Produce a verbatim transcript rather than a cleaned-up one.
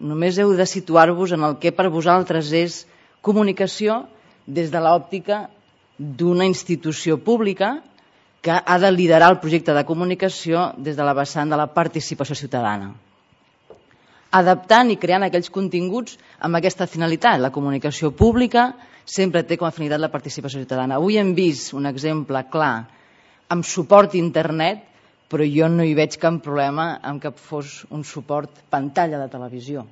Només heu de situar-vos en el que per vosaltres és comunicació des de l'òptica d'una institució pública que ha de liderar el projecte de comunicació des de la vessant de la participació ciutadana, adaptant i creant aquells continguts amb aquesta finalitat. La comunicació pública sempre té com a finalitat la participació ciutadana. Avui hem vist un exemple clar amb suport a internet, però jo no hi veig cap problema en que fos un suport pantalla de televisió.